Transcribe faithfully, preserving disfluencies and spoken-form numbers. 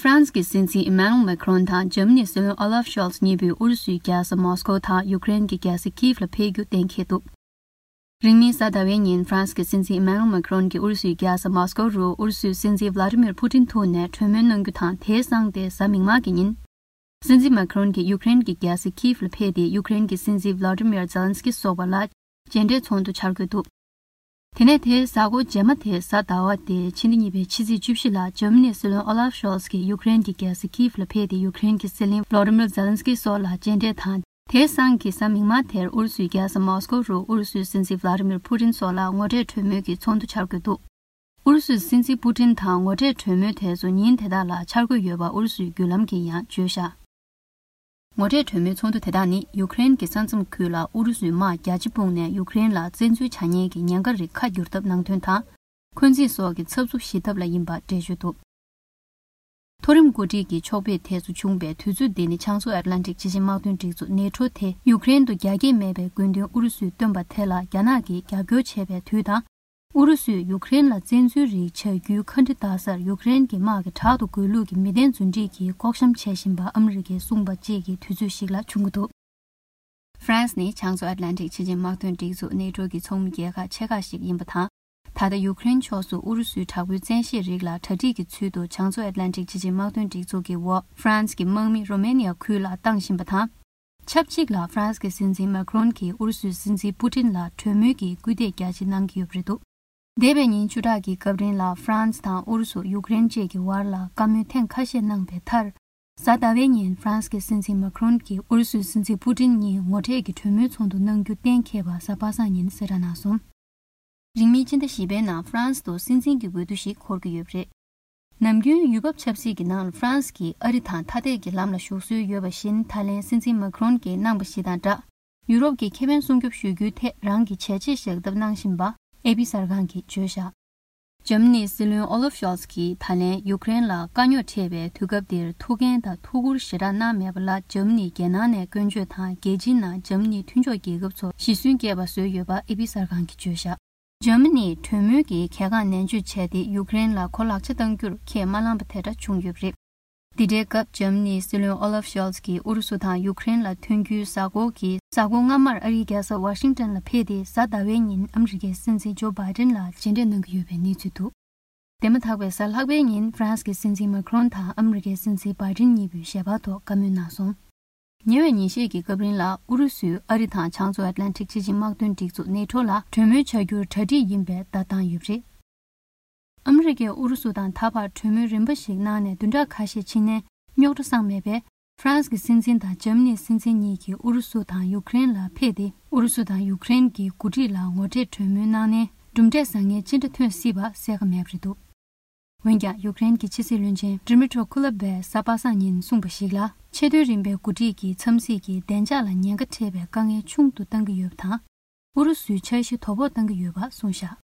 ཧྥ་རན་སི་གི་སྲིད་འཛིན་ཨི་མན་ནུ་ཨེལ་མེ་ཁ་རོན་དང་འཇར་མ་ནིའི་སྲིད་བློན་ཨོ་ལཱབ་ཤོལ་ཚ་གཉིས་པོས་ཨུ་རུ་སུའི་རྒྱལ་ས་མོ་སི་ཀོ་དང་ཡུཀ་རེན་གྱི་རྒྱལ་ས་ཀིབ་ལ་ཕེབས་རྒྱུ་གཏན་འཁེལ་འདུག་རིང་མིན་གཟའ་ཟླ་བའི་ཉིན་ཧྥ་རན་སི་གི་སྲིད་འཛིན་ཨི་མན་ནུ་ཨེལ་མེ་ཁ་རོན་གྱིས་ཨུ་རུ་སུའི་རྒྱལ་ས་མོ་སི་ཀོ་རུ་ཨུ་རུ་སུའི་སྲིད་འཛིན་ཝ་ལ་ཏི་མིར་པུ་ཏིན་ཐུག་ནས་གྲོས་མོལ་གནང་རྒྱུ་དང་། དེའི་སང་སྟེ་གཟའ་མིག་དམར་གྱི་ཉིན། སྲིད་འཛིན་མེ་ཁ་རོན་གྱིས་ཡུཀ་རེན་གྱི་རྒྱལ་ས་ཀིབ་ལ་ཕེབས་ཏེ་ཡུཀ་རེན་གྱི་སྲིད་འཛིན་ཝ་ལ་ཏི་མིར་ཛེ་ལན་སི་ཀི་སོགས་པ་ལ་མཇལ་འཕྲད་ཚོགས་འདུ་འཆར་འགོད་འདུག་དེ་ནས་དེའི་གཟའ་འཁོར་རྗེས་མ་དེ་གཟའ་ཟླ་བ་སྟེ་ཕྱི་ཟླ་གཉིས་པའི་ཕྱི་ཚེས་བཅུ་བཞི་ལ་འཇར་མ་ནིའི་སྲིད་བློན་ཨོ་ལཱབ་ཤོལ་ཚ་གིས་ཡུཀ་རེན་གྱི་རྒྱལ་ས་ཀིབ་ལ་ཕེབས་ཏེ་ཡུཀ་རེན་གྱི་སྲིད་བློན་ཝ་ལ་ཏི་མིར་ཛེ་ལན་སི་ཀི་སོགས་ལ་མཇལ་འཕྲད་དང་། དེའི་སང་གི་གཟའ་མིག་དམར་དེར་ཨུ་རུ་སུའི་རྒྱལ་ས་མོ་སི་ཀོ་རུ་ཨུ་རུ་སུའི་སྲིད་འཛིན་ཝ་ལ་ཏི་མིར་པུ་ཏིན་སོགས་ལ་ངོ་འཕྲད་གྲོས་མོལ་གྱི་ཚོགས་འདུ་འཆར་འགོད་འདུག་ཨུ་རུ་སུའི་སྲིད་འཛིན་པུ་ཏིན་དང་ངོ་འཕྲད་གྲོས་མོལ་དེ་ཚོ་ཉིན་དེ་དག་ལ་འཆར་འགོད་ཡོད་པ་ཨུ་རུ་སུའི་བརྒྱུད་ལམ་གྱིས་ཡང་བརྗོད་བཞག་ངོ་འཕྲད་གྲོས་མོལ་ཚོགས་འདུ་དེ་དག་ནི་ཡུཀ་རེན་གྱི་ས་མཚམས་ཁུལ་ལ་ཨུ་རུ་སུའི་དམག་རྒྱ་ཆེ་སྤུངས་ནས་ཡུཀ་རེན་ལ་བཙན་འཛུལ་བྱ་ཉེན་གྱི་ཉེན་ཁ་རིགས་ཁ་བསྒྱུར་ཐབས་ནང་དོན་དང་། འཁོན་འཛིན་སོགས་ཀྱི་འཚབ་འཚུབ་ཞི་ཐབས་ལ་ཡིན་པ་འགྲེལ་བརྗོད་འདུག་མཐོ་རིམ་འགོ་ཁྲིད་ཀྱི་ཕྱོགས་ཕེབས་དེ་ཚོ་བྱུང་བའི་དུས་ཚོད་འདི་ནི་བྱང་མཚོ་ཨེཊ་ལན་ཊིག་ཆེས་ཆེར་དམག་དོན་སྒྲིག་འཛུགས་ནེ་ཊོ་དེ་ཡུཀ་རེན་དུ་རྒྱ་སྐྱེད་མེད་པའི་རྒོལ་འདུན་ཨུ་རུ་སུས་བཏོན་པ་དེ་ལ་རྒྱ་ནག་གིས་རྒྱབ་སྐྱོར་བྱས་པའི་དུས་དང་། ཨུ་རུ་སུས་ཡུཀ་རེན་ལ་བཙན་འཛུལ་རིགས་བྱ་རྒྱུའི་ཁ་འདྲི་ལྟ་སར་ཡུཀ་རེན་གྱི་དམག་གི་དྲག་ཏུ་རྒོལ་ལུགས་ཀྱི་མི་བདེན་རྫུན་སྒྲིག་གིས་བཀོག་བཤམ་བྱེད་བཞིན་པ་ཨ་མི་རི་ཀས་གསུངས་པ་བཅས་ཀྱི་དུས་ཚོད་ཞིག་ལ་བྱུང་གི་འདུག་ཧྥ་རན་སི་ནི་བྱང་མཚོ་ཨེཊ་ལན་ཊིག་ཆེས་ཆེར་དམག་དོན་སྒྲིག་འཛུགས་ནེ་ཊོ་གི་ཚོགས་མི་རྒྱལ་ཁག་ཆེ་ཁག་ཞིག་ཡིན་པ་དང་། ད་ལྟ་ཡུཀ་རེན་ཕྱོགས་སུ་ཨུ་རུ་སུའི་དྲག་པོའི་བཙན་ཤེད་རིགས་ལ་གྲ་སྒྲིག་གི་ཚུལ་དུ་བྱང་མཚོ་ཨེཊ་ལན་ཊིག་ཆེས་ཆེར་དམག་དོན་སྒྲིག་འཛུགས་ཀྱི་འོག་ཧྥ་རན་སི་གི་དམག་མི་རོ་མེ་ནི་ཡ་ཁུལ་ལ་བཏང་བཞིན་པ་དང་། ཆབས་ཅིག་ལ་ཧྥ་རན་སི་གི་སྲིད་འཛིན་མེ་ཁ་རོན་གྱིས་ཨུ་རུ་སུའི་སྲིད་འཛིན་པུ་ཏིན་ལ་གྲོས་མོལ་གྱི་སྐུལ་འདེད་རྒྱ་ཆེ་གནང་གི་ཡོད་པ་རེད་འདུག་འདས་པའི་ཉིན་བཅུ་ཕྲག་གི་སྐབས་རིང་ལ་ཧྥ་རན་སི་དང་ཨུ་རུ་སུ། ཡུཀ་རེན་བཅས་ཀྱི་བར་ལ་བཀའ་མོལ་ཐེངས་ཁ་ཤས་གནང་པའི་མཐར། གཟའ་ཟླ་བའི་ཉིན་ཧྥ་རན་སི་གི་སྲིད་འཛིན་མེ་ཁ་རོན་གྱིས་ཨུ་རུ་སུའི་སྲིད་འཛིན་པུ་ཏིན་གཉིས་ངོ་འཕྲད་ཀྱི་གྲོས་མོལ་ཚོགས་འདུ་གནང་རྒྱུ་གཏན་འཁེལ་བ་གཟའ་པ་སངས་ཉིན་གསལ་བསྒྲགས་གནང་སོང་། རིང་མིན་སྤྱི་ཟླ་བཞི་པའི་ནང་ཧྥ་རན་སི་དུ་སྲིད་འཛིན་གྱི་འོས་བསྡུ་ཞིག་འཁོར་གྱི་ཡོད་པ་རེད། ནམ་རྒྱུན་ཡུལ་བབ་ཆབ་སྲིད་ཀྱི་ནང་ལ་ཧྥ་རན་སི་གིས་ཨ་རི་དང་ཐ་དད་ཀྱི་ལམ་ལ་ཞུགས་སྲོལ་ཡོད་པ་བཞིན། ད་ལན་སྲིད་འཛིན་མེ་ཁ་རོན་གྱིས་གནང་པ་ཞིག་དང་སྦྲགས། ཡུ་རོབ་ཀྱི་ཁེ་ཕན་སྲུང་སྐྱོབ་ཞུ་རྒྱུའི་ཐད་རང་གི་བྱས་རྗེས་བཞག་ཐབས་གནང་བཞིན་པ་ཨེ་པི་གསར་ཁང་གིས་བརྗོད་བཞག་འཇར་མ་ནིའི་སྲིད་བློན་ཨོ་ལོབ་ཤོལ་ཚ་གིས་ད་ལན་ཡུཀ་རེན་ལ་དཀའ་རྙོག་འཕྲད་པའི་དུས་སྐབས་འདིར་ཐུགས་འགན་དང་ཐུགས་ཁུར་ཞེ་དྲག་གནང་མེད་པ་ལ། འཇར་མ་ནིའི་རྒྱལ་ནང་ནས་སྐྱོན་བརྗོད་དང་། རྒྱལ་སྤྱིའི་ནང་འཇར་མ་ནིའི་མཐུན་ཕྱོགས་རྒྱལ་ཁབ་ཚོར་ཞེ་སུན་སྐྱེས་པ་བཟོས་ཡོད་པ་ཨེ་པི་གསར་ཁང་གིས་བརྗོད་བཞག་འཇར་མ་ནིས་གྲོས་མོལ་གྱི་གལ་འགངས་ནན་བརྗོད་བྱས་ཏེ། ཡུཀ་རེན་ལ་ཁོ་ལག་ཆ་གཏང་རྒྱུར་ཁས་མ་བླངས་པ་དེ་འདྲ་བྱུང་ཡོད་པ་རེད། འདི་འདྲའི་སྐབས་འཇར་མ་ནིའི་སྲིད་བློན་ཨོ་ལབ་ཤོལ་ཚ་གིས་ཨུ་རུ་སུ་དང་ཡུཀ་རེན་ལ་ཐོན་རྒྱུའི་གཟའ་འཁོར་གྱི་གཟའ་འཁོར་སྔ་མར་ཨ་རིའི་རྒྱལ་ས་ཝ་ཤིང་ཏོན་ལ་ཕེབས་ཏེ། གཟའ་ཟླ་བའི་ཉིན་ཨ་མི་རི་ཀའི་སྲིད་འཛིན་ཇོ་བྷའི་ཏིན་ལ་མཇལ་འཕྲད་གནང་གི་ཡོད་པའི་གནས་ཚུལ་འདུག་དེ་མ་ཐག་པའི་གཟའ་ལྷག་པའི་ཉིན་ཧྥ་རན་སི་གི་སྲིད་འཛིན་མེ་ཁ་རོན་དང་ཨ་མི་རི་ཀའི་སྲིད་འཛིན་བྷའི་ཏིན་གཉིས་པོས་ཞལ་པར་ཐོག་བཀའ་མོལ་གནང་སོང་། ཉེ་བའི་ཉིན་ཤས་ཀྱི་སྐབས་རིང་ལ་ཨུ་རུ་སུས་ཨ་རི་དང་བྱང་མཚོ་ཨེཊ་ལན་ཊིག་སྤྱི་ཆིངས་དམག་དོན་སྒྲིག་འཛུགས་ནེ་ཊོ་ལ་གྲོས་མོལ་བྱ་རྒྱུར་གྲ་སྒྲིག་ཡིན་པའི་བརྡ་བཏང་ཡོད་པ་རེད། ཨ་མི་རི་ཀས་ཨུ་རུ་སུ་དང་ད་བར་གྲོས་མོལ་རིམ་པ་ཞིག་གནང་ནས་བདུན་ཕྲག་ཁ་ཤས་ཕྱིན་ནས་རྙོག་དྲ་སངས་མེད་པས། ཧྥ་རན་སི་གི་སྲིད་འཛིན་དང་འཇར་མ་ནིའི་སྲིད་འཛིན་གཉིས་ཀྱིས་ཨུ་རུ་སུ་དང་ཡུཀ་རེན་ལ་ཕེབས་ཏེ། ཨུ་རུ་སུ་དང་ཡུཀ་རེན་གྱི་འགོ་ཁྲིད་ལ་ངོ་འཕྲད་གྲོས་མོལ་གནང་ནས་གྲུབ་འབྲས་བཟང་ངན་ཅི་འདྲ་ཐོན་སྲིད་པ་གསལ་ཁ་མེད་པ་རེད་འདུག་འོན་ཀྱང་། ཡུཀ་རེན་གྱི་ཕྱི་སྲིད་བློན་ཆེན་ཌི་མི་ཊྲོ་ཁུ་ལ་བས་གཟའ་པ་སངས་ཉིན་གསུངས་པ་ཞིག་ལ། ཆེས་མཐོའི་རིམ་པའི་འགོ་ཁྲིད་ཀྱི་འཚམས་གཟིགས་ཀྱིས་བདེ་འཇགས་ལ་ཉེན་ཁ་འཕྲད་པའི་དཀའ་ངལ་ཆུང་དུ་གཏང་གི་ཡོད་པ་དང་། ཨུ་རུ་སུའི་འཆར་གཞི་དོ་ཕོག་གཏང་གི་ཡོད་པ་གསུངས་བཞག